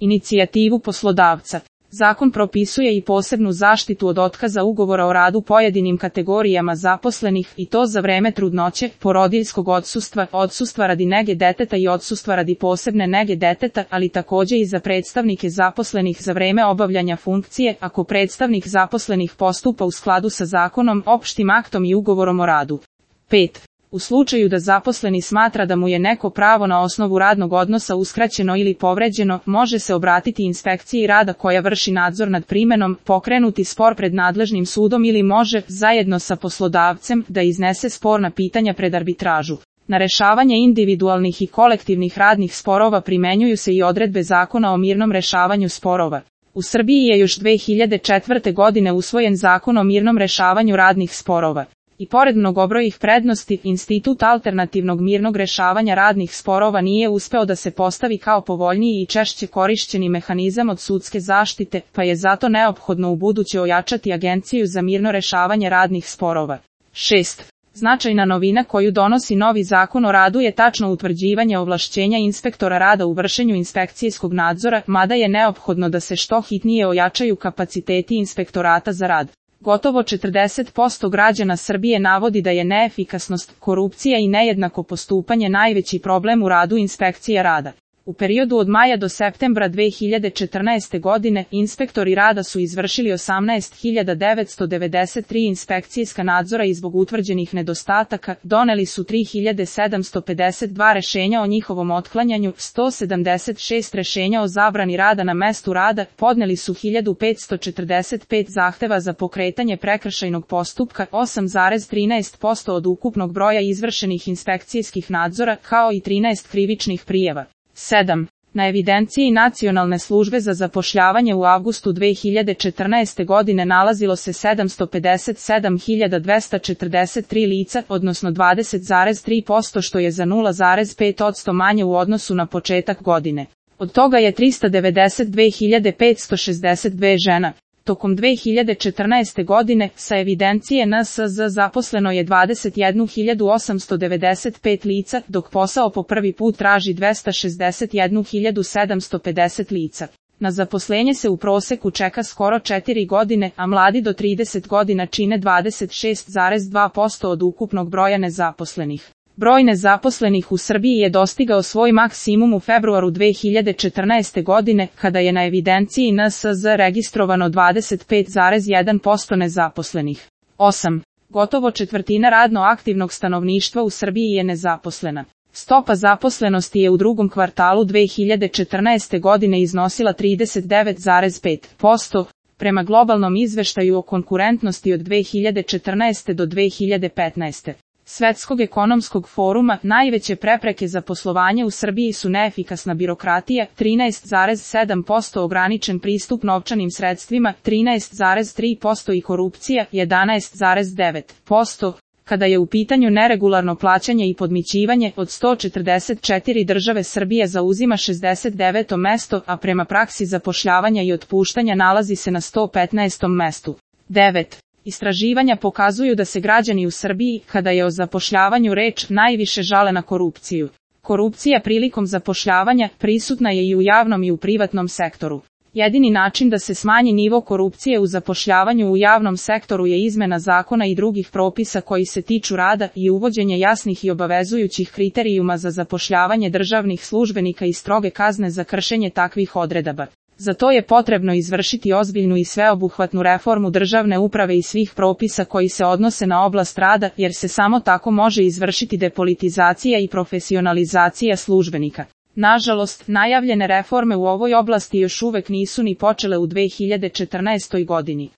inicijativu poslodavca. Zakon propisuje i posebnu zaštitu od otkaza ugovora o radu pojedinim kategorijama zaposlenih i to za vreme trudnoće, porodiljskog odsustva, odsustva radi nege deteta i odsustva radi posebne nege deteta, ali takođe i za predstavnike zaposlenih za vreme obavljanja funkcije, ako predstavnik zaposlenih postupa u skladu sa zakonom, opštim aktom i ugovorom o radu. 5. U slučaju da zaposleni smatra da mu je neko pravo na osnovu radnog odnosa uskraćeno ili povređeno, može se obratiti inspekciji rada koja vrši nadzor nad primenom, pokrenuti spor pred nadležnim sudom ili može, zajedno sa poslodavcem, da iznese sporna pitanja pred arbitražu. Na rešavanje individualnih i kolektivnih radnih sporova primenjuju se i odredbe Zakona o mirnom rešavanju sporova. U Srbiji je još 2004. godine usvojen Zakon o mirnom rešavanju radnih sporova. I pored mnogobrojnih prednosti, institut alternativnog mirnog rešavanja radnih sporova nije uspeo da se postavi kao povoljniji i češće korišćeni mehanizam od sudske zaštite, pa je zato neophodno ubuduće ojačati Agenciju za mirno rešavanje radnih sporova. 6. Značajna novina koju donosi novi Zakon o radu je tačno utvrđivanje ovlašćenja inspektora rada u vršenju inspekcijskog nadzora, mada je neophodno da se što hitnije ojačaju kapaciteti inspektorata za rad. Gotovo 40% građana Srbije navodi da je neefikasnost, korupcija i nejednako postupanje najveći problem u radu inspekcija rada. U periodu od maja do septembra 2014. godine, inspektori rada su izvršili 18.993 inspekcijska nadzora i zbog utvrđenih nedostataka, doneli su 3.752 rešenja o njihovom otklanjanju, 176 rešenja o zabrani rada na mestu rada, podneli su 1.545 zahteva za pokretanje prekršajnog postupka, 8,13% od ukupnog broja izvršenih inspekcijskih nadzora, kao i 13 krivičnih prijava. 7. Na evidenciji Nacionalne službe za zapošljavanje u avgustu 2014. godine nalazilo se 757.243 lica, odnosno 20,3%, što je za 0,5% manje u odnosu na početak godine. Od toga je 392.562 žena. Tokom 2014. godine, sa evidencije NSZ zaposleno je 21.895 lica, dok posao po prvi put traži 261.750 lica. Na zaposlenje se u proseku čeka skoro 4 godine, a mladi do 30 godina čine 26,2% od ukupnog broja nezaposlenih. Broj nezaposlenih u Srbiji je dostigao svoj maksimum u februaru 2014. godine, kada je na evidenciji NSZ registrovano 25,1% nezaposlenih. 8. Gotovo četvrtina radno aktivnog stanovništva u Srbiji je nezaposlena. Stopa zaposlenosti je u drugom kvartalu 2014. godine iznosila 39,5%, prema globalnom izveštaju o konkurentnosti od 2014. do 2015. Svetskog ekonomskog foruma, najveće prepreke za poslovanje u Srbiji su neefikasna birokratija, 13,7%, ograničen pristup novčanim sredstvima, 13,3% i korupcija, 11,9%. Kada je u pitanju neregularno plaćanje i podmićivanje, od 144 države Srbija zauzima 69. mesto, a prema praksi zapošljavanja i otpuštanja nalazi se na 115. mestu. 9. Istraživanja pokazuju da se građani u Srbiji, kada je o zapošljavanju reč, najviše žale na korupciju. Korupcija prilikom zapošljavanja prisutna je i u javnom i u privatnom sektoru. Jedini način da se smanji nivo korupcije u zapošljavanju u javnom sektoru je izmena zakona i drugih propisa koji se tiču rada i uvođenje jasnih i obavezujućih kriterijuma za zapošljavanje državnih službenika i stroge kazne za kršenje takvih odredaba. Za to je potrebno izvršiti ozbiljnu i sveobuhvatnu reformu državne uprave i svih propisa koji se odnose na oblast rada, jer se samo tako može izvršiti depolitizacija i profesionalizacija službenika. Nažalost, najavljene reforme u ovoj oblasti još uvek nisu ni počele u 2014. godini.